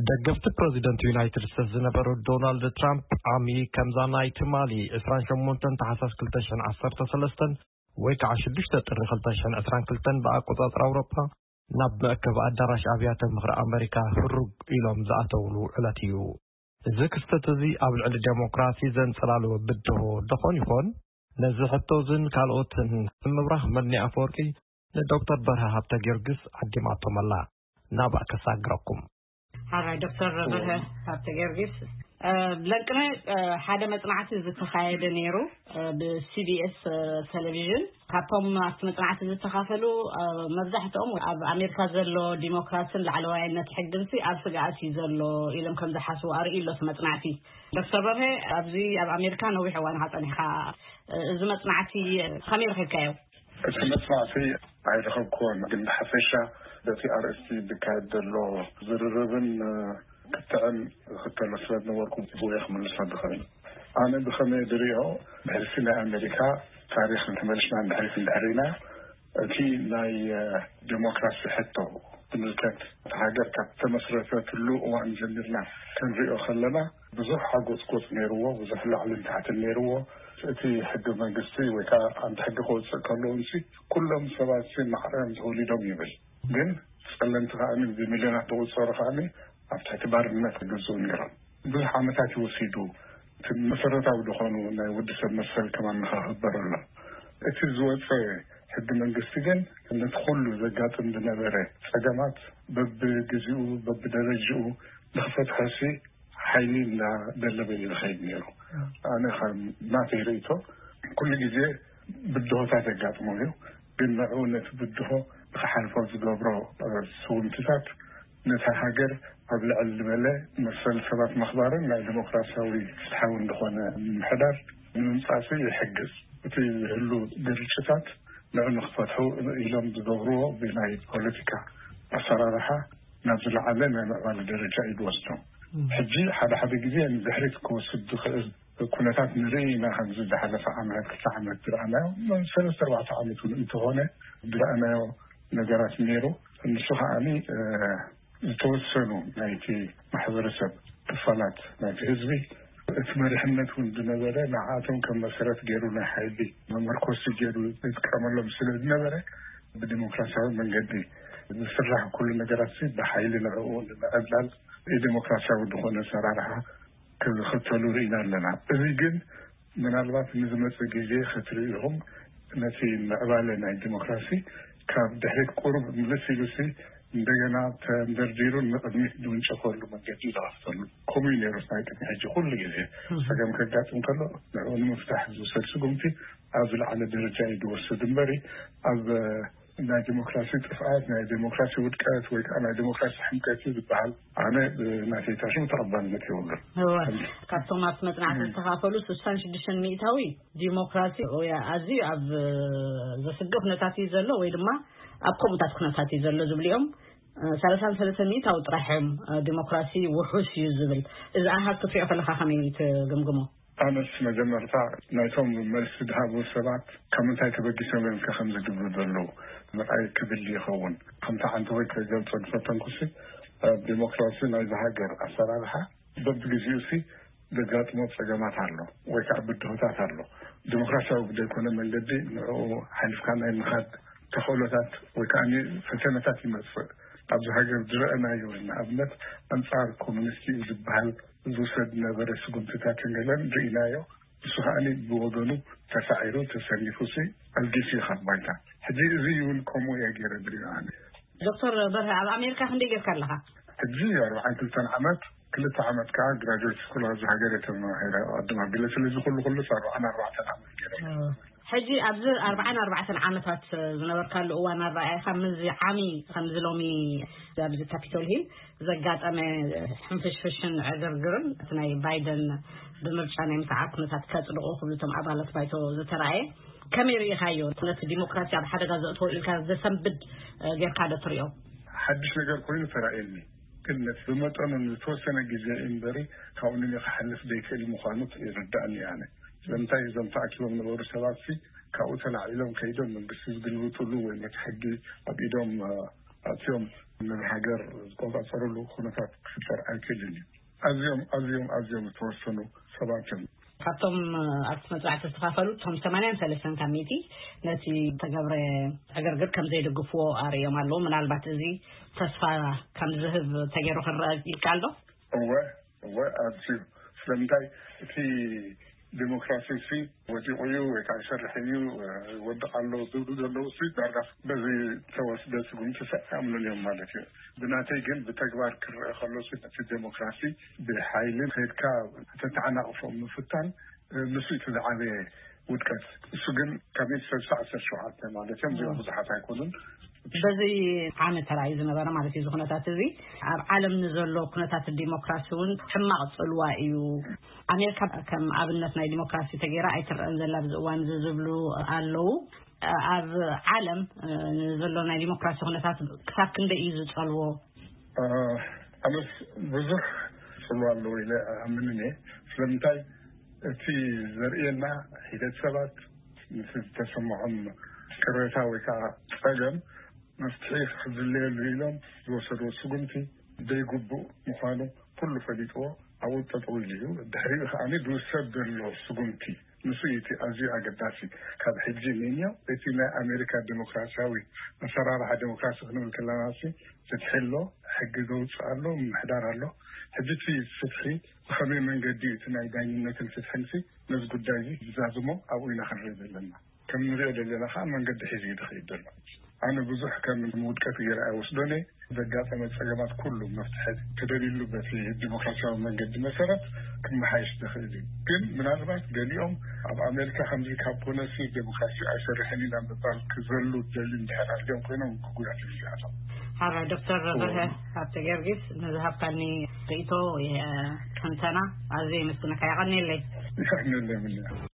ደገፍቲ ፕረዚደንት ዩናይትድ ስቴትስ ዝነበሩ ዶናልድ ትራምፕ ዓሚ ከምዛ ናይ ትማሊ ዕስራን ሸሞንተን ታሕሳስ ክልተ ሽሕን ዓሰርተ ሰለስተን ወይ ከዓ ሽዱሽተ ጥሪ ክልተ ሽሕን ዕስራን ክልተን ብኣቆጻጽራ ኣውሮጳ ናብ መእከቢ ኣዳራሽ ኣብያተ ምኽሪ ኣመሪካ ህሩግ ኢሎም ዝኣተውሉ ዕለት እዩ። እዚ ክስተት እዚ ኣብ ልዕሊ ዴሞክራሲ ዘንጸላሉ ብድሆ ደኾን ይኾን? ነዚ ሕቶ እዝን ካልኦትን ንምብራህ መድኒ ኣፈወርቂ ንዶክተር በርሀ ሃብተ ጊዮርጊስ ዓዲማቶም ኣላ። ናብኣ ከሳግረኩም። ሓራይ ዶክተር በርሀ ሃብተ ጊዮርጊስ፣ ለንቅነ ሓደ መጽናዕቲ ዝተኻየደ ነይሩ ብሲቢኤስ ቴሌቪዥን። ካብቶም ኣብቲ መጽናዕቲ ዝተኻፈሉ መብዛሕትኦም ኣብ ኣሜሪካ ዘሎ ዲሞክራሲን ላዕለዋይነት ሕግንሲ ኣብ ስግኣት እዩ ዘሎ ኢሎም ከም ዝሓስቡ ኣርእዩ ኣሎ እቲ መጽናዕቲ። ዶክተር በርሀ፣ ኣብዚ ኣብ ኣሜሪካ ነዊሕ እዋን ኢኻ ጸኒሕካ። እዚ መጽናዕቲ ከመይ ረኺብካዮ? እቲ መጽናዕቲ ኣይረኸብኩዎን፣ ግን ብሓፈሻ በቲ ኣርእስቲ ዝካየድ ዘሎ ዝርርብን ክትዕን ዝኽተሎ ስለ ዝነበርኩ ብኡ እየ ክምልሶ ዝኽእል። ኣነ ብኸመይ ዝሪኦ፣ ብሕልፊ ናይ ኣሜሪካ ታሪኽ እንተመሊስና ንድሕሪት እንድሕር ኢና፣ እቲ ናይ ዴሞክራሲ ሕቶ ዝምልከት፣ እታ ሃገር ካብ ተመስረተትሉ እዋን ጀሚርና ክንሪኦ ከለና ብዙሕ ሓጎጽጎጽ ነይርዎ፣ ብዙሕ ላዕልን ታሕትን ነይርዎ። እቲ ሕገ መንግስቲ ወይ ከዓ ዓንዲ ሕጊ ክወፅእ ከሎ እንሲ ኩሎም ሰባት ሲ ማዕረ እዮም ተወሊዶም ይብል። ግን ጸለምቲ ከዓኒ ብሚልዮናት ዝቑጸሩ ከዓኒ ኣብ ትሕቲ ባርነት ይግዝኡ ነይሮም። ብዙሕ ዓመታት እዩ ወሲዱ። እቲ መሰረታዊ ዝኾኑ ናይ ወዲ ሰብ መሰል ከማን ንኸኽበረሎም። እቲ ዝወፀ ሕጊ መንግስቲ ግን ነቲ ኩሉ ዘጋጥም ዝነበረ ጸገማት በብግዚኡ በብደረጅኡ ንኽፈትሖ ሲ ሓይሊ እናደለበ እዩ ዝኸይድ ነይሩ። ኣነ ከም ናተይ ርእይቶ ኩሉ ግዜ ብድሆታት የጋጥሞ እዩ። ግን ንዕኡ ነቲ ብድሆ ንኽሓልፎ ዝገብሮ ስውምትታት ነታ ሃገር ኣብ ልዕል ዝበለ መሰል ሰባት ምኽባርን ናይ ዲሞክራሲያዊ ፍትሓዊ እንደኾነ ምምሕዳር ንምምጻእ ይሕግዝ። እቲ ዝህሉ ግርጭታት ንዑ ንኽፈትሑ ኢሎም ዝገብርዎ ብናይ ፖለቲካ ኣሰራርሓ ናብ ዝለዓለ ናይ ምዕባለ ደረጃ እዩ ዝወስዶም። ሕጂ ሓደ ሓደ ግዜ ንድሕሪት ክወስድ ዝኽእል ኩነታት ንርኢ ኢና። ከምዚ ዝሓለፈ ዓመት ክልተ ዓመት ዝረኣናዮ ሰለስተ ኣርባዕተ ዓመት እውን እንተኾነ ዝረኣናዮ ነገራት ነይሩ። ንሱ ከዓኒ ዝተወሰኑ ናይቲ ማሕበረሰብ ክፋላት ናይቲ ህዝቢ እቲ መሪሕነት እውን ዝነበረ ንዓኣቶም ከም መሰረት ገይሩ ናይ ሓይሊ መመርኮሲ ገይሩ ዝጥቀመሎም ስለ ዝነበረ ብዲሞክራሲያዊ መንገዲ ዝስራሕ ኩሉ ነገራት ሲ ብሓይሊ ንዕኡ ንምዕብላል ብዲሞክራሲያዊ ዝኾነ ኣሰራርሓ ክኽተሉ ርኢና ኣለና። እዚ ግን ምናልባት ንዝመጽእ ግዜ ክትርእዩ ኢኹም ነቲ ምዕባለ ናይ ዲሞክራሲ ካብ ድሕሪት ቁሩብ ምልስ ኢሉሲ እንደገና ተንደርዲሩ ንቕድሚት ዝውንጨፈሉ መንገዲ ዝኸፍተሉ። ከምኡ እዩ ነይሩ ናይ ቅድሚ ሕጂ ኩሉ ግዜ ጸገም ከጋጥም ከሎ ንዕኡ ንምፍታሕ ዝውሰድ ስጉምቲ ኣብ ዝለዓለ ደረጃ እዩ ዝወስድ እምበሪ ኣብ ናይ ዲሞክራሲ ጥፍኣት ናይ ዲሞክራሲ ውድቀት ወይ ከዓ ናይ ዲሞክራሲ ሕምቀት እዩ ዝበሃል ኣነ ብናተይ ታሽሙ ተቐባልነት የብሉን። እወ፣ ካብቶም ኣብቲ መጽናዕቲ ዝተኻፈሉ ስሳን ሽዱሽተን ሚእታዊ ዲሞክራሲ ወይ ኣዝዩ ኣብ ዘስግእ ኩነታት እዩ ዘሎ ወይ ድማ ኣብ ከምኡታት ኩነታት እዩ ዘሎ ዝብሉ እዮም። ሰላሳን ሰለስተ ሚእታዊ ጥራሕ እዮም ዲሞክራሲ ውሑስ እዩ ዝብል። እዚ ኣሃዝ ክትሪኦ ከለኻ ከመይ ትግምግሞ? ኣነስ መጀመርታ ናይቶም መልሲ ዝሃቡ ሰባት ካብ ምንታይ ተበጊሶም እዮም ከ ከም ዝድብሉ ዘለዉ ምርኣይ ክድሊ ይኸውን። ከምቲ ሓንቲ ወይ ከገልጾ ዝፈተንኩሲ ኣብ ዲሞክራሲ ናይዚ ሃገር ኣሰራርሓ በብግዜኡ ሲ ዘጋጥሞ ጸገማት ኣሎ ወይ ከዓ ብድሆታት ኣሎ። ዲሞክራሲያዊ ብዘይኮነ መንገዲ ንዕኡ ሓሊፍካ ናይ ምኻድ ተኽእሎታት ወይ ከዓ ፈተነታት ይመጽእ። ኣብዚ ሃገር ዝረአናዮ ንኣብነት ኣንጻር ኮሙኒስት እዩ ዝበሃል ዝውሰድ ዝነበረ ስጉምትታትን ገለን ርኢናዮ። ንሱ ከዓኒ ብወገኑ ተሳዒሩ ተሰሊፉ ሲ ኣልጊሱ እዩ ካብ ባይታ። ሕጂ እዚ እውን ከምኡ እየ ገይረ ዝሪኦ ኣነ። ዶክተር በርሀ ኣብ ኣሜሪካ ክንደይ ጌርካ ኣለኻ? ሕጂ ኣርባዓን ክልተን ዓመት ክልተ ዓመት ከዓ ግራጁዌት ስኩል ኣብዚ ሃገር እየ ተማሂረ። ቅድም ኣቢለ ስለዚ ኩሉ ኩሉስ ኣርባዓን ኣርባዕተን ዓመት ገይረ። ሕጂ ኣብዚ ኣርባዓን ኣርባዕተን ዓመታት ዝነበርካሉ እዋን ኣረኣእያኻ ምስዚ ዓሚ ከምዚ ሎሚ ኣብዚ ካፒቶል ሂል ዘጋጠመ ሕንፍሽፍሽን ዕግርግርን እቲ ናይ ባይደን ብምርጫ ናይ ምስዓር ኩነታት ከጽድቑ ክብሉ እቶም ኣባላት ባይቶ ዝተራእየ ከመይ ርኢኻዮ? ነቲ ዲሞክራሲ ኣብ ሓደጋ ዘእትዎ ኢልካ ዘሰንብድ ጌርካ ዶ ትሪኦ? ሓድሽ ነገር ኮይኑ ተራእየኒ። ግን ነቲ ብመጠኑ ንዝተወሰነ ግዜ እምበሪ ካብኡ ንክሓልፍ ዘይክእል ምዃኑ ይርዳእኒ ኣነ። ስለምንታይ እዞም ተኣኪቦም ነበሩ ሰባት ሲ ካብኡ ተላዒሎም ከይዶም መንግስቲ ዝግልብጥሉ ወይ ነቲ ሕጊ ኣብ ኢዶም ኣትዮም ነዚ ሃገር ዝቆጻጸርሉ ኩነታት ክፍጠር ኣይክእልን እዩ። ኣዝዮም ኣዝዮም ኣዝዮም ዝተወሰኑ ሰባት እዮም። ካብቶም ኣብቲ መጽናዕቲ ዝተኻፈሉ እቶም ሰማንያን ሰለስተን ካብ ሚእቲ ነቲ ተገብረ ዕግርግር ከም ዘይደግፍዎ ኣርእዮም ኣለዉ። ምናልባት እዚ ተስፋ ከም ዝህብ ተገይሩ ክረአ ይከኣል ዶ? እወ፣ እወ፣ ኣዝዩ። ስለምንታይ እቲ ዴሞክራሲ ሲ ወዲቑ እዩ ወይ ከዓ ይሰርሕ እዩ፣ ወድቕ ኣሎ ዝብሉ ዘለዉ ሲ ዳርጋ በዚ ተወስደ ስጉምቲ ሲ ኣምኑን እዮም ማለት እዩ። ብናተይ ግን ብተግባር ክረአ ከሎ ሲ ነቲ ዴሞክራሲ ብሓይሊ ከይድካ ተተዓናቕፎ ምፍታን ንሱ እቲ ዝዓበየ ውድቀት። እሱ ግን ካብ ሚእቲ ሰብሳ ዓሰርተ ሸውዓተ ማለት እዮም። እዚኦም ብዙሓት ኣይኮኑን። በዚ ዓመት ተራእዩ ዝነበረ ማለት እዩ። እዚ ኩነታት እዚ ኣብ ዓለም ንዘሎ ኩነታት ዲሞክራሲ እውን ሕማቕ ጽልዋ እዩ። ኣሜሪካ ከም ኣብነት ናይ ዲሞክራሲ ተገይራ ኣይትረአን ዘላ ኣብዚ እዋን እዚ ዝብሉ ኣለዉ። ኣብ ዓለም፣ እ፣ ዘሎ ናይ ዲሞክራሲ ኩነታት ክሳብ ክንደይ እዩ ዝጸልዎ? እ፣ ኣነስ ብዙሕ ጽልዋ ኣለዎ ኢለ ኣምንን እየ። ስለምንታይ? እቲ ዘርእየና ሒደት ሰባት ምስ ዝተሰምዖም ቅሬታ ወይ ከዓ ጸገም መፍትሒ ክዝለየሉ ኢሎም ዝወሰድዎ ስጉምቲ ዘይግቡእ ምዃኑ ኩሉ ፈሊጥዎ ኣብኡ ጠጠው ኢሉ እዩ። ድሕሪኡ ከዓኒ ዝውሰድ ዘሎ ስጉምቲ ንሱ እዩ እቲ ኣዝዩ ኣገዳሲ። ካብ ሕጂ ንንዮ እቲ ናይ ኣሜሪካ ዴሞክራሲያዊ ኣሰራርሓ ዴሞክራሲ ክንብል ከለና ሲ ፍትሒ ኣሎ፣ ሕጊ ዘውፅእ ኣሎ፣ ምምሕዳር ኣሎ። ሕጂ እቲ ፍትሒ ብኸመይ መንገዲ እዩ እቲ ናይ ዳኝነትን ፍትሕን ሲ ነዚ ጉዳይ እዚ ዝዛዝሞ ኣብኡ ኢና ክንርኢ ዘለና። ከም ንሪኦ ዘለና ከዓ መንገዲ ሒዙ እዩ ዝኸይድ ዘሎ። ኣነ ብዙሕ ከም ውድቀት ገይረ ኣይወስዶን እየ። ዘጋጠመ ጸገማት ኩሉ መፍትሒ ተደልዩሉ በቲ ዲሞክራሲያዊ መንገዲ መሰረት ክመሓየሽ ዝኽእል እዩ። ግን ምናልባት ገሊኦም ኣብ ኣሜሪካ ከምዚ ካብ ኮነሲ ዴሞክራሲ ኣይሰርሕን ኢና ምባል ክዘሉ ዝደልዩ እንድሕር ኣልዮም ኮይኖም ክጉዳት እዩ ዝኣቶም። ሓራይ ዶክተር በርሀ ሃብተ ጊዮርጊስ ንዝሃብካኒ ርእይቶ ወይ፣ እ፣ ትንተና ኣዝየ የመስግነካ። የቐንየለይ። ይኸሕነለይ ምንያ።